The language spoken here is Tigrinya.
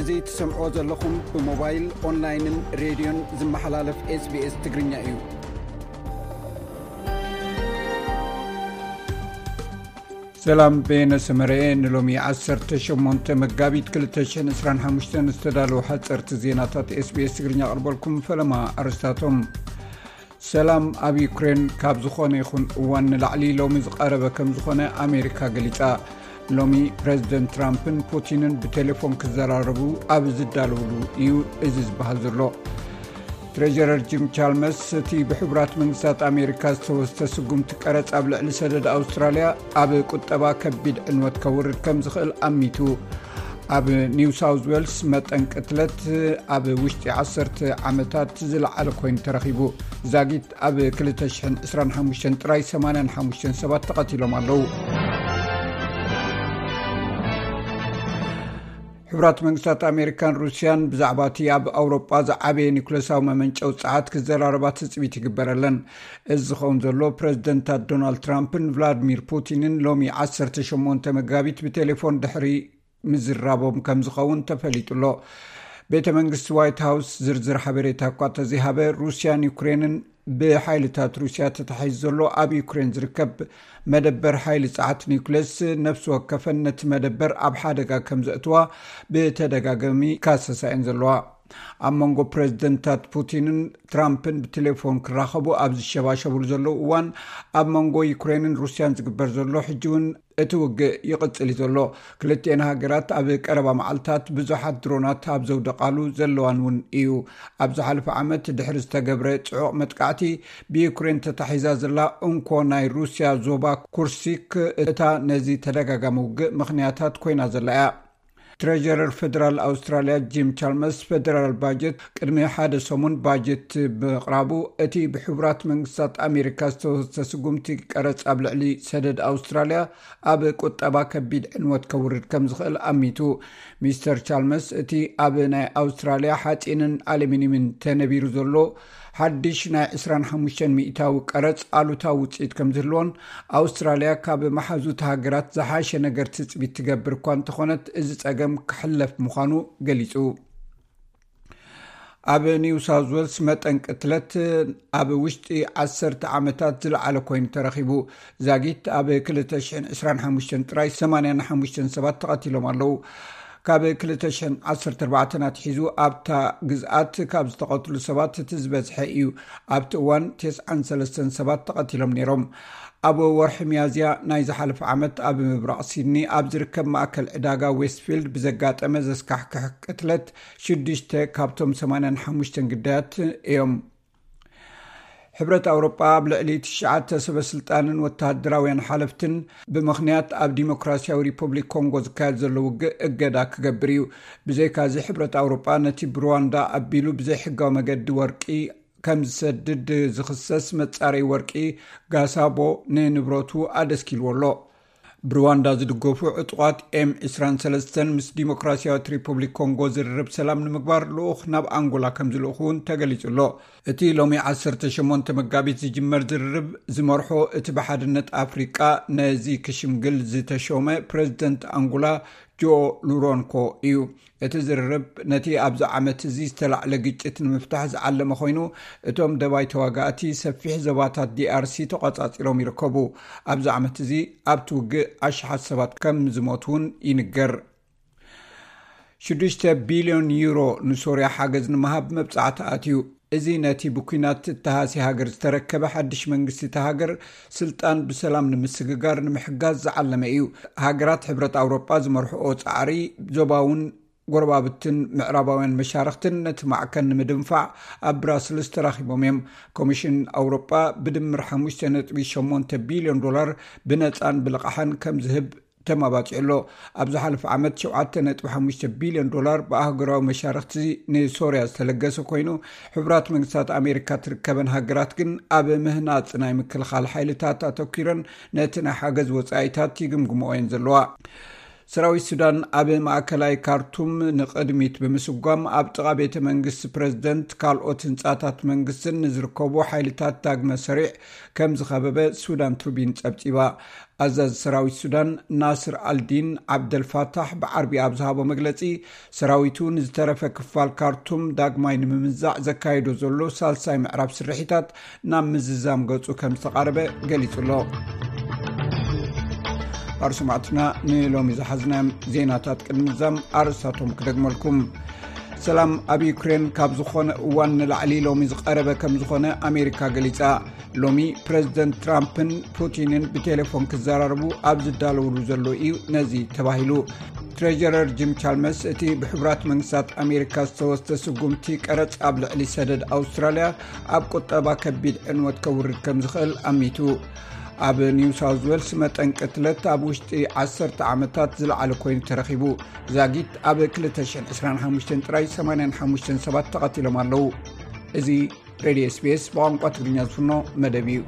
እዚ ትሰምዕዎ ዘለኹም ብሞባይል፣ ኦንላይንን ሬድዮን ዝመሓላለፍ ኤስቢኤስ ትግርኛ እዩ። ሰላም፣ በየነ ሰመረኤ። ንሎሚ ዓሰርተ ሸሞንተ መጋቢት ክልተ ሽሕን ዕስራን ሓሙሽተን ዝተዳለዉ ሓፀርቲ ዜናታት ኤስቢኤስ ትግርኛ ኣቕርበልኩም። ፈለማ ኣርስታቶም። ሰላም ኣብ ዩክሬን ካብ ዝኾነ ይኹን እዋን ንላዕሊ ሎሚ ዝቐረበ ከም ዝኾነ ኣሜሪካ ገሊጻ። ሎሚ ፕረዚደንት ትራምፕን ፑቲንን ብቴሌፎን ክዘራረቡ ኣብ ዝዳለውሉ እዩ እዚ ዝበሃል ዘሎ። ትሬጀረር ጂም ቻልመስ እቲ ብሕቡራት መንግስታት ኣሜሪካ ዝተወስተ ስጉምቲ ቀረጽ ኣብ ልዕሊ ሰደድ ኣውስትራልያ ኣብ ቁጠባ ከቢድ ዕንወት ከውርድ ከም ዝኽእል ኣሚቱ። ኣብ ኒው ሳውዝ ዌልስ መጠን ቅትለት ኣብ ውሽጢ ዓሰርተ ዓመታት ዝለዓለ ኮይኑ ተረኺቡ። ዛጊት ኣብ ክልተ ሽሕን ዕስራን ሓሙሽተን ጥራይ ሰማንያን ሓሙሽተን ሰባት ተቐቲሎም ኣለዉ። ሕቡራት መንግስታት ኣሜሪካን ሩስያን ብዛዕባ እቲ ኣብ ኣውሮጳ ዝዓበየ ኒኩለሳዊ መመንጨዊ ጸዓት ክዘራረባ ትጽቢት ይግበረለን። እዚ ዝኸውን ዘሎ ፕረዚደንታት ዶናልድ ትራምፕን ቭላድሚር ፑቲንን ሎሚ ዓሰርተ ሸሞንተ መጋቢት ብቴሌፎን ድሕሪ ምዝራቦም ከም ዝኸውን ተፈሊጡ ኣሎ። ቤተ መንግስቲ ዋይት ሃውስ ዝርዝር ሓበሬታ እኳ ተዘይሃበ፣ ሩስያን ዩክሬንን ብሓይልታት ሩስያ ተታሒዙ ዘሎ ኣብ ዩክሬን ዝርከብ መደበር ሓይሊ ጸዓት ኒውክሌስ ነፍሲ ወከፈን ነቲ መደበር ኣብ ሓደጋ ከም ዘእትዋ ብተደጋጋሚ ካሰሳ እየን ዘለዋ። ኣብ መንጎ ፕረዚደንታት ፑቲንን ትራምፕን ብቴሌፎን ክራኸቡ ኣብ ዝሸባሸብሉ ዘለዉ እዋን፣ ኣብ መንጎ ዩክሬንን ሩስያን ዝግበር ዘሎ ሕጂ እውን እቲ ውግእ ይቕጽል እዩ ዘሎ። ክልቲኤን ሃገራት ኣብ ቀረባ መዓልታት ብዙሓት ድሮናት ኣብ ዘውደቓሉ ዘለዋን እውን እዩ። ኣብ ዝሓለፈ ዓመት ድሕሪ ዝተገብረ ጽዑቕ መጥቃዕቲ፣ ብዩክሬን ተታሒዛ ዘላ እንኮ ናይ ሩስያ ዞባ ኩርሲክ እታ ነዚ ተደጋጋሚ ውግእ ምኽንያታት ኮይና ዘላ እያ። ትሬጀረር ፌደራል ኣውስትራልያ ጂም ቻልመርስ፣ ፌደራል ባጀት ቅድሚ ሓደ ሰሙን ባጀት ብምቕራቡ፣ እቲ ብሕቡራት መንግስታት ኣሜሪካ ዝተወሰደ ስጉምቲ ቀረጽ ኣብ ልዕሊ ሰደድ ኣውስትራልያ ኣብ ቁጠባ ከቢድ ዕንወት ከውርድ ከም ዝኽእል ኣሚቱ። ሚስተር ቻልመርስ፣ እቲ ኣብ ናይ ኣውስትራልያ ሓጺንን ኣሉሚንየምን ተነቢሩ ዘሎ ሓድሽ ናይ ዕስራን ሓሙሽተን ሚእታዊ ቀረጽ ኣሉታዊ ውጽኢት ከም ዝህልዎን፣ ኣውስትራልያ ካብ መሓዙት ሃገራት ዝሓሸ ነገር ትጽቢት ትገብር እኳ እንተኾነት፣ እዚ ጸገም ክሕለፍ ምዃኑ ገሊጹ። ኣብ ኒው ሳውዝ ዌልስ መጠን ቅትለት ኣብ ውሽጢ ዓሰርተ ዓመታት ዝለዓለ ኮይኑ ተረኺቡ። ዛጊት ኣብ ክልተ ሽሕን ዕስራን ሓሙሽተን ጥራይ ሰማንያን ሓሙሽተን ሰባት ተቐቲሎም ኣለዉ። ካብ ክልተ ሽሕን ዓሰርተ ኣርባዕተን ኣትሒዙ ኣብታ ግዝኣት ካብ ዝተቐትሉ ሰባት እቲ ዝበዝሐ እዩ። ኣብቲ እዋን ተስዓን ሰለስተን ሰባት ተቐቲሎም ነይሮም። ኣብ ወርሒ ሚያዝያ ናይ ዝሓለፈ ዓመት ኣብ ምብራቕ ሲድኒ ኣብ ዝርከብ ማእከል ዕዳጋ ዌስትፊልድ ብዘጋጠመ ዘስካሕክሕ ቅትለት ሽዱሽተ ካብቶም ሰማንያን ሓሙሽተን ግዳያት እዮም። ሕብረት ኣውሮጳ ኣብ ልዕሊ ትሽዓተ ሰበ ስልጣንን ወተሃደራውያን ሓለፍትን ብምኽንያት ኣብ ዲሞክራሲያዊ ሪፐብሊክ ኮንጎ ዝካየድ ዘሎ ውግእ እገዳ ክገብር እዩ። ብዘይካዚ ሕብረት ኣውሮጳ ነቲ ብሩዋንዳ ኣቢሉ ብዘይሕጋዊ መገዲ ወርቂ ከም ዝሰድድ ዝኽሰስ መጻረይ ወርቂ ጋሳቦ ንንብረቱ ኣደስኪልዎ ኣሎ። ብሩዋንዳ ዝድገፉ ዕጡቓት ኤም ዕስራን ሰለስተን ምስ ዲሞክራሲያዊት ሪፐብሊክ ኮንጎ ዝርርብ ሰላም ንምግባር ልኡኽ ናብ ኣንጎላ ከም ዝልእኹ እውን ተገሊጹ ኣሎ። እቲ ሎሚ ዓሰርተ ሸሞንተ መጋቢት ዝጅመር ዝርርብ ዝመርሖ እቲ ብሓድነት ኣፍሪቃ ነዚ ክሽምግል ዝተሾመ ፕረዚደንት ኣንጎላ ጆኦ ሉሮንኮ እዩ። እቲ ዝርርብ ነቲ ኣብዚ ዓመት እዚ ዝተላዕለ ግጭት ንምፍታሕ ዝዓለመ ኮይኑ፣ እቶም ደባይ ተዋጋእቲ ሰፊሕ ዞባታት ዲኣርሲ ተቖጻጺሮም ይርከቡ። ኣብዚ ዓመት እዚ ኣብቲ ውግእ ኣሽሓት ሰባት ከም ዝሞቱ እውን ይንገር። ሽዱሽተ ቢልዮን ዩሮ ንሶርያ ሓገዝ ንምሃብ መብጻዕቲ ኣትዩ። እዚ ነቲ ብኲናት እተሃሲ ሃገር ዝተረከበ ሓድሽ መንግስቲ እታ ሃገር ስልጣን ብሰላም ንምስግጋር ንምሕጋዝ ዝዓለመ እዩ። ሃገራት ሕብረት ኣውሮጳ ዝመርሕኦ ጻዕሪ ዞባውን ጎረባብትን ምዕራባውያን መሻርኽትን ነቲ ማዕከን ንምድንፋዕ ኣብ ብራስልስ ተራኺቦም እዮም። ኮሚሽን ኣውሮጳ ብድምር ሓሙሽተ ነጥቢ ሸሞንተ ቢልዮን ዶላር ብነጻን ብልቓሕን ከም ዝህብ ተማባጺዑ ኣሎ። ኣብ ዝሓለፈ ዓመት ሸውዓተ ነጥቢ ሓሙሽተ ቢልዮን ዶላር ብኣህጉራዊ መሻርኽቲ ንሶርያ ዝተለገሰ ኮይኑ፣ ሕቡራት መንግስታት ኣሜሪካ ትርከበን ሃገራት ግን ኣብ ምህናጽ ናይ ምክልኻል ሓይልታት ኣተኲረን ነቲ ናይ ሓገዝ ወጻኢታት ይግምግምኦ እየን ዘለዋ። ሰራዊት ሱዳን ኣብ ማእከላይ ካርቱም ንቕድሚት ብምስጓም፣ ኣብ ጥቓ ቤተ መንግስቲ ፕረዚደንት፣ ካልኦት ህንጻታት መንግስትን ንዝርከቡ ሓይልታት ዳግመ ሰሪዕ ከም ዝኸበበ ሱዳን ትሪቢን ጸብጺባ። ኣዛዚ ሰራዊት ሱዳን ናስር ኣልዲን ዓብደልፋታሕ ብዓርቢ ኣብ ዝሃቦ መግለጺ፣ ሰራዊቱ ንዝተረፈ ክፋል ካርቱም ዳግማይ ንምምዛዕ ዘካየዶ ዘሎ ሳልሳይ ምዕራብ ስርሒታት ናብ ምዝዛም ገጹ ከም ዝተቓረበ ገሊጹ ኣሎ። ኣርሱማዕትና ንሎሚ ዝሓዝናዮም ዜናታት ቅድሚ ምዛም ኣርእስታቶም ክደግመልኩም። ሰላም ኣብ ዩክሬን ካብ ዝኾነ እዋን ንላዕሊ ሎሚ ዝቐረበ ከም ዝኾነ ኣሜሪካ ገሊጻ። ሎሚ ፕረዚደንት ትራምፕን ፑቲንን ብቴሌፎን ክዘራረቡ ኣብ ዝዳለውሉ ዘሎ እዩ ነዚ ተባሂሉ። ትሬጀረር ጂም ቻልመስ እቲ ብሕቡራት መንግስታት ኣሜሪካ ዝተወስደ ስጉምቲ ቀረጽ ኣብ ልዕሊ ሰደድ ኣውስትራልያ ኣብ ቁጠባ ከቢድ ዕንወት ከውርድ ከም ዝኽእል ኣሚቱ። ኣብ ኒው ሳውዝ ዌልስ መጠን ቅትለት ኣብ ውሽጢ ዓሰርተ ዓመታት ዝለዓለ ኮይኑ ተረኺቡ። ዛጊት ኣብ ክልተ ሽሕን ዕስራን ሓሙሽተን ጥራይ ሰማንያን ሓሙሽተን ሰባት ተቐቲሎም ኣለዉ። እዚ ሬድዮ ኤስቢኤስ ብቋንቋ ትግርኛ ዝፍኖ መደብ እዩ።